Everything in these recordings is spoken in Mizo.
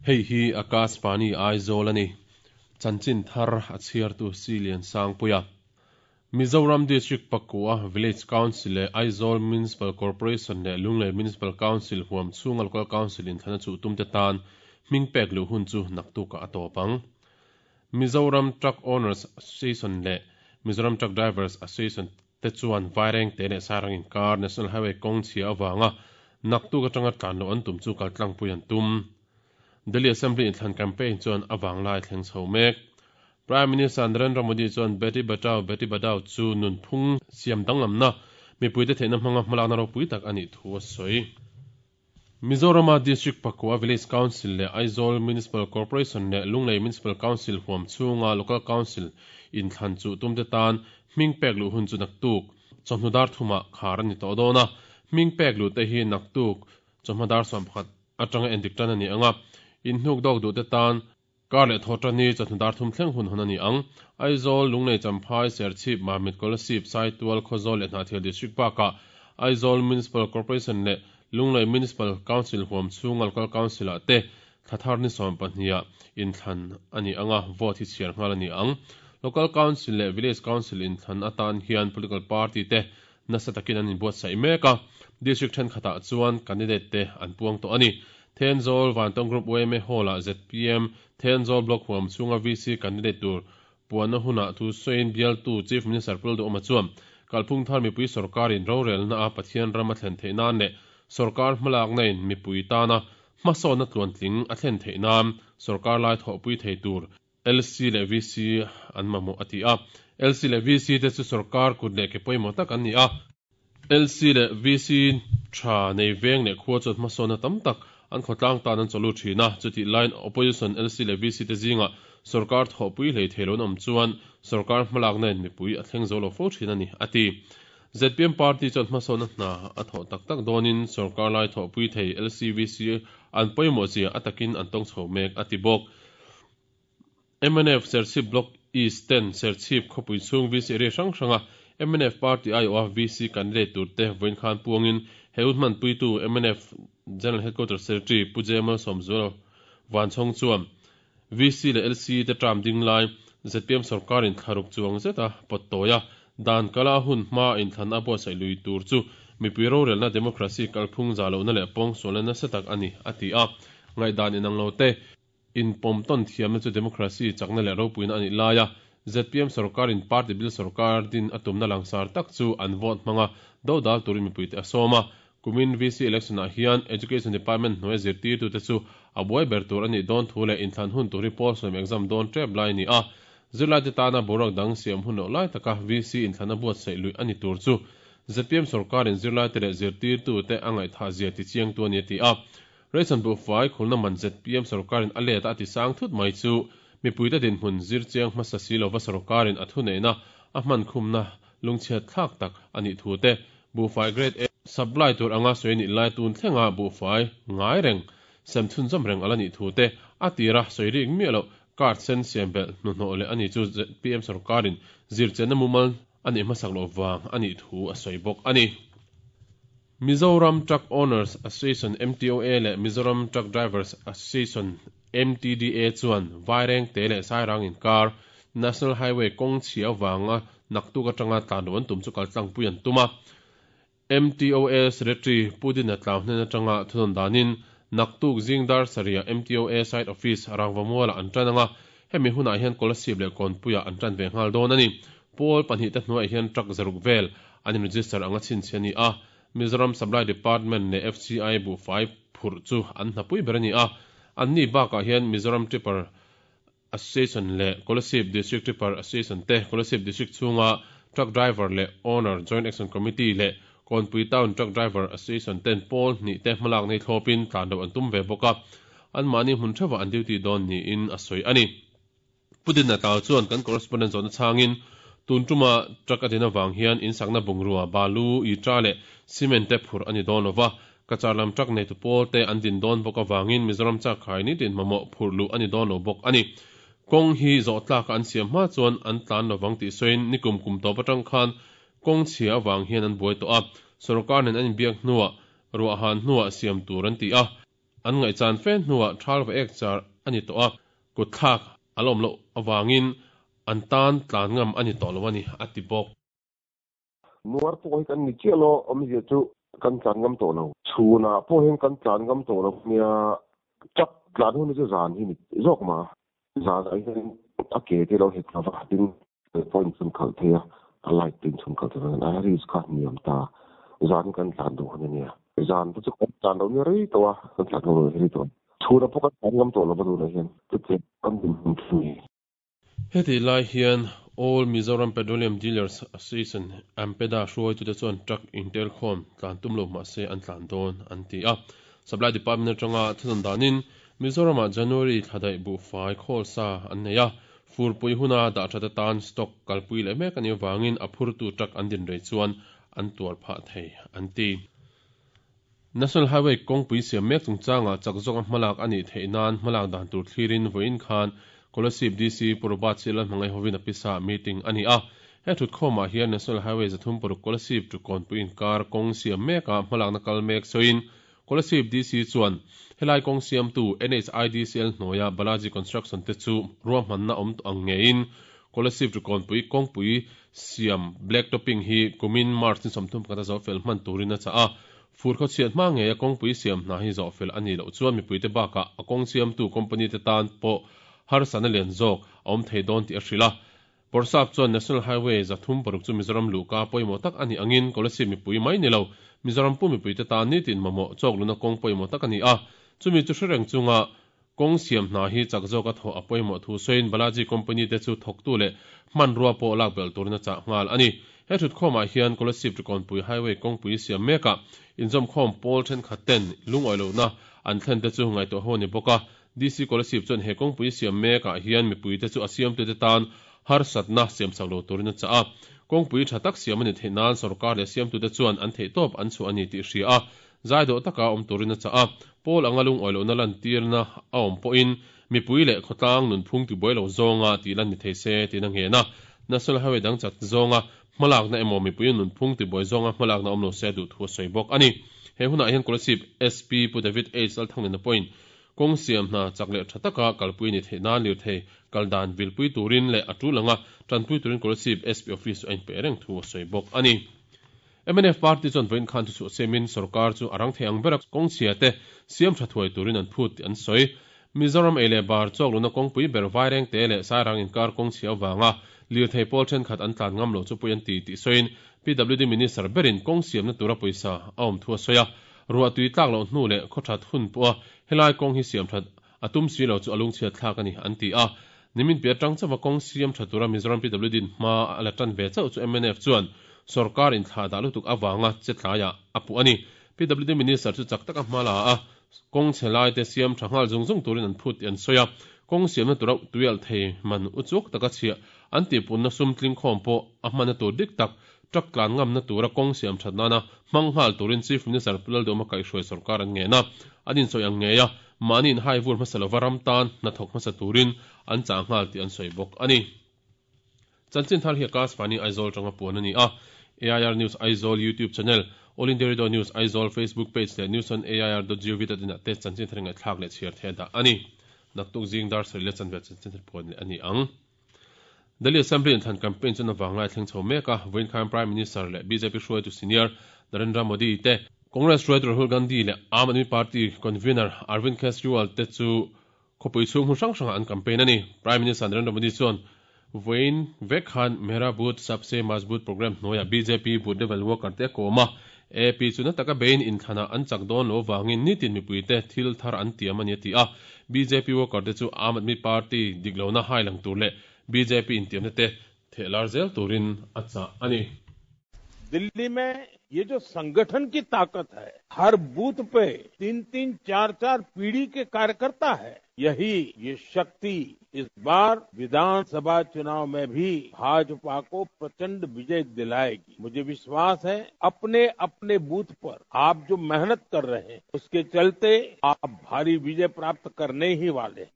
Hei hi Akashvani Aizawl a ni. Chanchin thar a chhiartu Silian Sangpuia. Mizoram District pakua Village Council leh Aizawl Municipal Corporation leh Lunglei Municipal Council huam chhunga Local Council inthlana chuh tumte tan hming pek luh hun chu naktukah a tawp ang. Mizoram Truck Owners Association leh Mizoram Truck Drivers Association te chuan Vairengte leh Sairang inkar National Highway kawng chhia avanga naktuk atanga tlan loh an tum chu kaltlangpui an tum. Delhi Assembly inthlan campaign chuan a vanglai thleng chho mek. Prime Minister Narendra Modi chuan Beti Bachao Beti Padhao chu nunphung siam danglamna mipuite theihna hmanga hmalakna ropui tak a nih thu a sawi. Mizorama District pakua Village Council leh Aizawl Municipal Corporation leh Lunglei Municipal Council huam chhunga Local Council inthlan chuh tumte tan hming pek luh hun chu naktuk chawhnu dar thumah khar a ni tawh dawn a. Hming pek luhte hi naktuk chawhma dar 11 atanga endik tan a ni ang a, inhnuk dawk duhte tan Kar leh thaw tan hi chawhnu dar thum thleng hun hawn a ni ang. Aizawl, Lunglei, Champhai, Serchhip, Mamit, Kolasib, Saitual, Khawzawl leh Hnahthial District bakah Aizawl Municipal Corporation leh Lunglei Municipal Council huam chhunga Local Council ah te thla thar ni 12 ah inthlan a ni ang a, vote hi chhiar nghal a ni ang. Local Council leh Village Council inthlan atan hian Political Party te nasa takin an inbuatsaih mek a, District thenkhatah chuan candidate te an puang tawh a ni. Thenzawl Vantawng Group yma Hall-ah zpm Thenzawl Block huam chhunga VC candidate tur puanna hunah thu sawiin bialtu Chief Minister Pu Lalduhawma chuan kalphung thar mipui sawrkarin rorelna a Pathian ram a thlen theih nan leh sawrkar hmalakna in mipui tana hmasawnna tluantling a thlen theih nan sawrkar lai thawhpui thei tur LC leh VC an mamawh a ti a. LC leh VC te chu sawrkar kut leh ke pawimawh tak an ni a. LC leh VC tha nei veng leh khua chuan hmasawnna tam tak an khawtlang tan an chawlu thin a. Chutih laiin Opposition LC leh VC te zingah sawrkar thawhpui hlei thei lo an awm chuan sawrkar hmalakna in mipui a thleng zo lo fo thin a ni, a ti. Zpm party chuan hmasawnna hna a thawh tak tak dawnin sawrkar lai thawhpui thei LC, VC an pawimawh zia a takin an tawng chho mek, a ti bawk. Mnf Serchhip Block East ten Serchhip khawpui chhung VC area hrang hranga mnf party aiawha VC candidate turte vawiin khan puangin he hun hmanpuitu mnf General Headquarters Secretary Pu J Malsawmzuala Vanchhawng chuan VC leh LC te term ding lai zpm sorkarin thlaruk chuang zeta pawt tawi a, dan kala hun hma inthlan a buatsaih lui tur chu mipui rorelna democracy kalphung za lohna leh pawngsualna nasa tak a ni, a ti a. Ngaihdan inang lo te. Inpawm tawn thiamna chu democracy chakna leh ropuina a nih laia zpm sorkarin party bil sorkar din a tumna langsar tak chu an vote hmanga dodal turin mipuite a sawm a. Kumin VC election ah hian Education Department hnuaia zirtirtute chu a buai ber tur a nih dawn thu leh inthlan hun tur hi pawl sawm exam dawn tep lai a ni a. Zirlaite tana boruak dang siam hun loh lai taka VC inthlan a buatsaih luih a ni tur chu zpm sorkarin zirlaite leh zirtirtute a ngaihthah zia tichiangtu a ni a ti a. Ration buhfai khulna man zpm sorkarin a let a a ti sang thut mai chu mipuite dinhmun zir chiang hmasa si lova sorkarin a thuneihna a hman khumna lungchhiat thlak tak a nih thu te buhfai grade A supply tur anga sawi nih lai tun thlenga buhfai ngai reng sem chhunzawm reng ala nih thu te a tira sawi rik miah loh card sen siam belh hnuhnawh leh a ni chu zpm sorkarin zirchianna mumal a nih hmasak loh vang a nih thu a sawi bawk a ni. Mizoram Truck Owners Association, MTOA, leh Mizoram Truck Drivers Association, MTDA, chuan Vairengte leh Sairang inkar National Highway kawng chhia avanga naktuk atanga tlan loh an tum chu kaltlangpui an tum a. MTOA Secretary Pu Dina Tlau hnen atanga thunawn danin naktuk zing dar sarihah MTOA Site Office Rangvamualah an tan anga, hemi hunah hian Kolasib leh Kawnpuiah an tan ve nghal dawn a ni. Pawl pahnihte hnuaiah hian truck zaruk vel an in-register anga chhinchhiah a ni a, Mizoram Supply Department leh FCI buhfai phurh chu an hnapui ber a ni a, anni bakah hian Mizoram Tipper Association leh Kolasib District Tipper Association te, Kolasib District chhunga Truck Driver leh Owner Joint Action Committee leh Kawnpui Town Truck Driver Association ten pawl hnih te hmalak nei thlawpin tlan loh an tum ve bawk a, anmahni hmun theuhah an duty dawn niin a sawi a ni. Pu Dinna Tlau chuan kan correspondent zawhna chhangin, Tun tuma truck a din avang hian in sakna bungrua, balu, itra leh cement te phurh a ni dawn lova, Cachar lam truck neitu pawl te an din dawn bawk avangin Mizoram chakkhai nitin mamawh phurh luh a ni dawn lo bawk a ni. Kawng hi zawh tlaka an siam hma chuan an tlan lovang tih sawiin nikum kum tawp atang khan kawng chhia avang hian an buai tawh a, sorkar nen an inbiak hnuah ruahhan hnuah siam tur an ti a. an ngaihchan fe hnuah thal va ek char a ni tawh a, kutthlak a la awm loh avangin an tan tlan ngam a ni tawh lo a ni, a ti bawk. Nuar pawh hi kan ni chiah lo, awmzia chu kan tlan ngam tawh lo. Chhunah pawh hian kan tlan ngam tawh lo nia, truck tlan hun hi chu zan hi ni zawk mah a. Zan ah hian a ke te lo het lova, tin pawh inchhun khalh thei a, a light te inchhun khalh thei a, a risk kha hniam ta. Zan hi kan tlan duh hun a nia. Zan te chu kan tlan lo nia rei tawh a, kan tlan ngam lo rei tawh a. Chhunah pawh kan tlan ngam tawh lo va tunah hian chutiang kan dinhmun chu ni. Hetih lai hian All Mizoram Petroleum Dealers Association, AMPEDA, hruaitute chuan truck intelkhawm tlan tum lo mah se an tlan dawn an ti a. Supply Department atanga thunawn danin Mizoramah January thla daih buhfai khawl sa an nei a, furpui huna dah that atan stock kalpui leh mek a nih avangin a phurtu truck an din rei chuan an tuar phah thei an ti. National Highway kawngpui siam mek chungchangah chak zawka hmalak a nih theih nan hmalak dan tur thlirin vawiin khan Kolasib DC Pu Robert Sialal hmangaih hovin a pisa meeting a ni a. He thutkhawmah hian National Highway 36 Kolasib to Kawnpui inkar kawng siam mekah hmalakna kal mek sawiin Kolasib DC chuan helai kawng siamtu NHIDCL hnuaia Balaji Construction te chu ruahmanna awm tawh ang ngeiin Kolasib to Kawnpui kawngpui Siam black topping hi kumin March ni 31 a zawhfel hman turin a chah a, fur khawchhiat hma ngeia kawngpui siam hna hi zawhfel a nih loh chuan mipuite bakah a kawng siamtu company te tan pawh harsatna lian zawk a awm thei dawn tih a hrilh a. Bawrhsap chuan National Highway 36 chu Mizoram luhka pawimawh tak a nih angin Kolasib mipui mai ni lo Mizoram pum mipuite tan nitin mamawh chawkluna kawng pawimawh tak a ni a, chumi chu hre reng chunga Kawng siam hna hi chak zawka thawh a pawimawh thu sawiin Balaji company te chu thawktu leh hmanrua pawh lak belh turin a chah nghal a ni. He thutkhawmah hian Kolasib Rikawnpui Highway kawngpui siam mekah inzawmkhawm pawl thenkhat ten lungawi lohna an thlen te chu ngaihtuah ho a ni bawk a. DC Kolasib chuan he kawngpui siam mekah hian mipuite chu a siamtute tan harsatna siamsak lo turin a chah a. Kawngpui tha tak siam a ni theih nan sorkar leh siamtute chuan an theihtawp an chhuah a ni tih hria a. Zai dawh taka awm turin a chah a, Paul anga lungawi lohna lantirna a awm pawhin mipui leh khawtlang nunphung tibuai lo zawnga tih lan ni thei se tiin a ngen a. National Highway dang chat zawnga hmalakna emaw mipui nunphung tibuai zawnga hmalakna awm lo se a duh thu a sawi bawk a ni. He hunah hian Kolasib SP Pu David H. Lalthanglina pawhin kawng siam hna chak leh tha taka kalpui ni theih nan lirthei kal dan vilpui turin leh a tul anga tanpui turin Kolasib SP Office chu a inpeih reng thu a sawi bawk a ni. Mnf party chuan vawiin khan thuchhuah siamin sorkar chu a rang thei ang bera kawngchhia te siam tha thuai turin an phut tih an sawi. Mizoram ei leh bar chawk luna kawngpui ber Vairengte leh Sairang inkar kawngchhia avanga lirthei pawl thenkhat an tlan ngam lo chu pui an ti tih sawiin PWD Minister berin kawng siamna tura pawisa a awm thu a sawi a. Ruah tui tlak loh hnu leh khawthat hun pawha helai kawng hi siam that a tum si lo chu a lungchhiat thlak a ni an ti a. Nimin piah atang chauha kawng siam tha tura Mizoram PWD in hma a la tan ve chauh chu mnf chuan sorkar inthlah dah lutuk avanga che tlaiah a puh a ni. PWD Minister chu chak taka hma la a, kawng chhe laite siam tha nghal zung zung turin an phut tih an sawi a. Kawng siamna tura tuialh thei man uchuak taka chhiah an tihpunna sum tlingkhawm pawh a hmanna tur dik tak Truck tlan ngamna tura kawng siam that nana hmang nghal turin Chief Minister Pu Lalduhma kaihhruai sorkar an ngen a, an insawi ang ngei a, mahni inhai vur hmasa lova ram tan hnathawk hmasa turin an chah nghal tih an sawi bawk a ni. Chanchin thar hi Akashvani Aizawl tanga puan a ni a, AIR News Aizawl YouTube channel, All India Radio News Aizawl Facebook page leh news on air dot gov dot in ah te chanchin thar ngaihthlak leh chhiar theih a dah a ni. Naktuk zing dar sarih leh chanve chanchin thar puan leh a ni ang. Delhi Assembly inthlan campaign chuan a vanglai thleng chho mek a, vawiin khan Prime Minister leh bjp hruaitu senior Narendra Modi te, Congress hruaitu Rahul Gandhi leh Aam Aadmi Party convener Arvind Kejriwal te chu khawpui chhung hmun hrang hrangah an campaign a ni. Prime Minister Narendra Modi chuan vawiin vek khan Mera Booth Sabse Majboot programme hnuaiah bjp booth level worker te a kawm a, AP chu na taka bein inthlanah an chak dawn lo avangin nitin mipuite thil thar an tiam a ni a ti a. Bjp worker te chu Aam Aadmi Party dik lohna hai lang tur leh bjp intiamna te theh lar zel turin a chah a ni. Delhi mein ye jo sangathan ki taakat hai, har booth pe tin tin char char peedhi ke karyakarta hai, yahi ye shakti is baar Vidhan Sabha chunav mein bhi Bhajpa ko prachand vijay dilayegi. Mujhe vishwas hai apne apne booth par aap jo mehnat kar rahe hain, uske chalte aap bhari vijay prapt karne hi wale hain.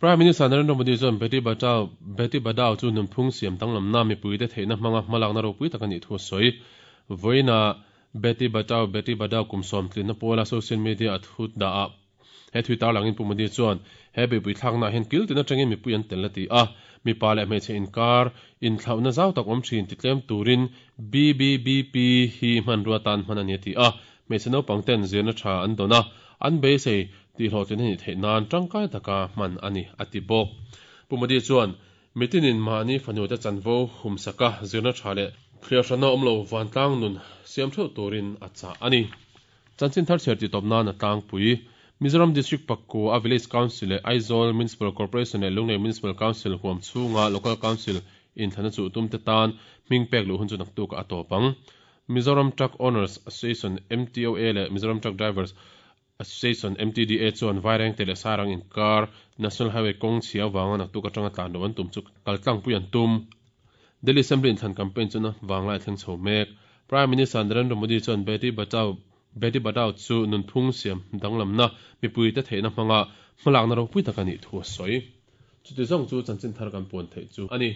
Prime Minister Narendra Modi chuan Beti Bachao, Beti Badao chu nunphung siam danglamna mipuite theihna hmanga hmalakna ropui tak a nih thu a sawi. Vawiinah Beti Bachao, Beti Badao kum sawm tlinna pawla social media a thu dah a. He thui tarlangin Pu Modi chuan he beihpui thlaknaah hian kil tin atangin mipui an tel a ti a, mipa leh hmeichhe inkar inthlauhna zau tak awm thin titlem turin BBBP hi hmanrua tan hman a ni a ti a, hmeichhe naupang ten zirna tha an dawn a, an beisei tihhlawhtlin a nih theih nan tangkai taka hman a ni a ti bawk. Pu Modi chuan Mitinin mahni fanute chanvo humsaka zirna tha leh thliarhrana awm lo vantlang nun siam theuh turin a chah a ni. Chanchin thar chhiar tih tawp nan a tlangpui. Mizoram District Pakua Village Council leh Aizawl Municipal Corporation leh Lunglei Municipal Council huam chhunga Local Council inthlana chuh tumte tan hming pek luh hun chu naktukah a tawp ang. Mizoram Truck Owners Association, MTOA, leh Mizoram Truck Drivers Association, MTDA, chuan Vairengte leh Sairang inkar National Highway kawng chhia avanga naktuk atanga tlan loh an tum chu kal tlangpui an tum. Delhi Assembly inthlan campaign chu na vanglai a thleng chho mek. Prime Minister Narendra Modi chuan Beti Bachao Beti Badao chu nunphung siam danglamna mipuite theihna hmanga hmalakna ropui tak a nih thu a sawi. Chuti zawng chu chanchin thar kan puan theih chu a ni.